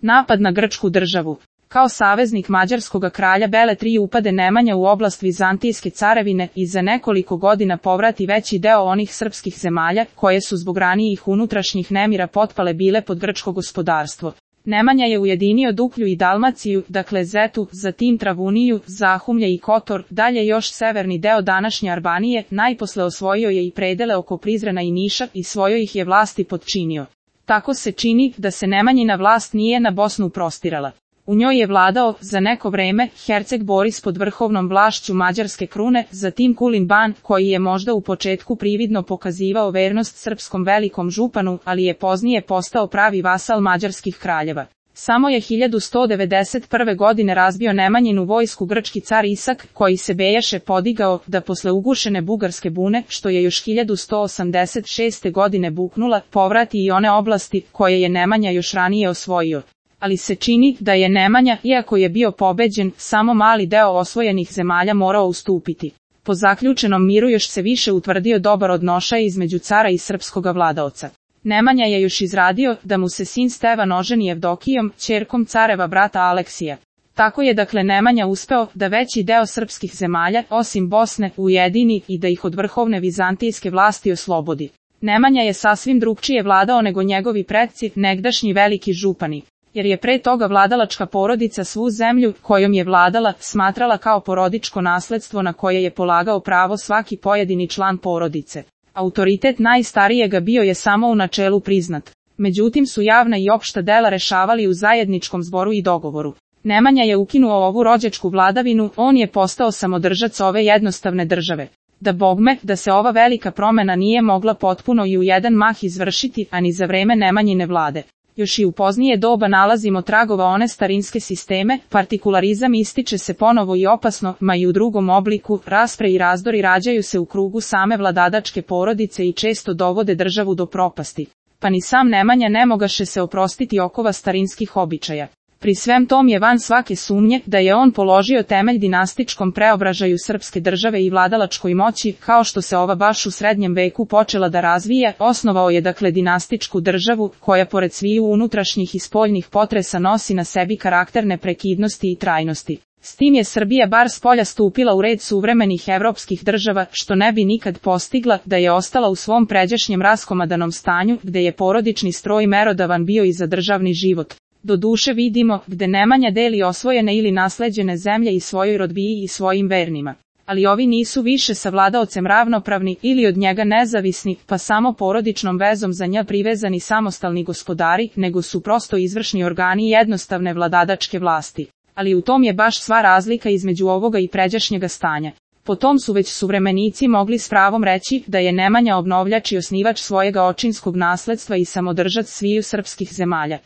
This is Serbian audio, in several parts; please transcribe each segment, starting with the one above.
Napad na grčku državu. Kao saveznik mađarskog kralja Bele III upade Nemanja u oblast Vizantijske carevine i za nekoliko godina povrati veći deo onih srpskih zemalja, koje su zbog ranijih unutrašnjih nemira potpale bile pod grčko gospodarstvo. Nemanja je ujedinio Duklju i Dalmaciju, dakle Zetu, zatim Travuniju, Zahumlje i Kotor, dalje još severni deo današnje Albanije, najposle osvojio je i predele oko Prizrena i Niša i svojoj ih je vlasti podčinio. Tako se čini da se Nemanjina vlast nije na Bosnu prostirala. U njoj je vladao, za neko vreme, herceg Boris pod vrhovnom vlašću mađarske krune, zatim Kulin Ban, koji je možda u početku prividno pokazivao vernost srpskom velikom županu, ali je poznije postao pravi vasal mađarskih kraljeva. Samo je 1191. godine razbio Nemanjinu vojsku grčki car Isak, koji se bejaše podigao da posle ugušene bugarske bune, što je još 1186. godine buknula, povrati i one oblasti koje je Nemanja još ranije osvojio. Ali se čini da je Nemanja, iako je bio pobeđen, samo mali deo osvojenih zemalja morao ustupiti. Po zaključenom miru još se više utvrdio dobar odnošaj između cara i srpskoga vladaoca. Nemanja je još izradio da mu se sin Stevan oženi Evdokijom, ćerkom careva brata Aleksija. Tako je dakle Nemanja uspeo da veći deo srpskih zemalja, osim Bosne, ujedini i da ih od vrhovne vizantijske vlasti oslobodi. Nemanja je sasvim drugčije vladao nego njegovi predci, negdašnji veliki župani. Jer je pre toga vladalačka porodica svu zemlju, kojom je vladala, smatrala kao porodičko nasledstvo na koje je polagao pravo svaki pojedini član porodice. Autoritet najstarijega bio je samo u načelu priznat. Međutim su javna i opšta dela rešavali u zajedničkom zboru i dogovoru. Nemanja je ukinuo ovu rođačku vladavinu, on je postao samodržac ove jednostavne države. Da bogme, da se ova velika promena nije mogla potpuno i u jedan mah izvršiti, a ni za vreme Nemanjine vlade. Još i u poznije doba nalazimo tragova one starinske sisteme, partikularizam ističe se ponovo i opasno, ma i u drugom obliku, raspre i razdori rađaju se u krugu same vladadačke porodice i često dovode državu do propasti. Pa ni sam Nemanja ne mogaše se oprostiti okova starinskih običaja. Pri svem tom je van svake sumnje da je on položio temelj dinastičkom preobražaju srpske države i vladalačkoj moći, kao što se ova baš u srednjem veku počela da razvija, osnovao je dakle dinastičku državu, koja pored sviju unutrašnjih i spoljnih potresa nosi na sebi karakter neprekidnosti i trajnosti. S tim je Srbija bar spolja stupila u red suvremenih evropskih država, što ne bi nikad postigla da je ostala u svom pređašnjem raskomadanom stanju, gde je porodični stroj merodavan bio i za državni život. Doduše vidimo gde Nemanja deli osvojene ili nasleđene zemlje i svojoj rodbiji i svojim vernima. Ali ovi nisu više sa vladaocem ravnopravni ili od njega nezavisni, pa samo porodičnom vezom za nja privezani samostalni gospodari, nego su prosto izvršni organi jednostavne vladadačke vlasti. Ali u tom je baš sva razlika između ovoga i pređašnjega stanja. Po tom su već suvremenici mogli s pravom reći da je Nemanja obnovljač i osnivač svojega očinskog nasledstva i samodržac sviju srpskih zemalja.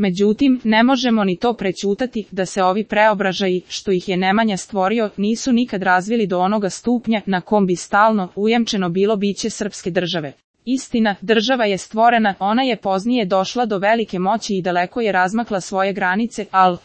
Međutim, ne možemo ni to prećutati da se ovi preobražaji, što ih je Nemanja stvorio, nisu nikad razvili do onoga stupnja na kom bi stalno ujemčeno bilo biće srpske države. Istina, država je stvorena, ona je poznije došla do velike moći i daleko je razmakla svoje granice, ali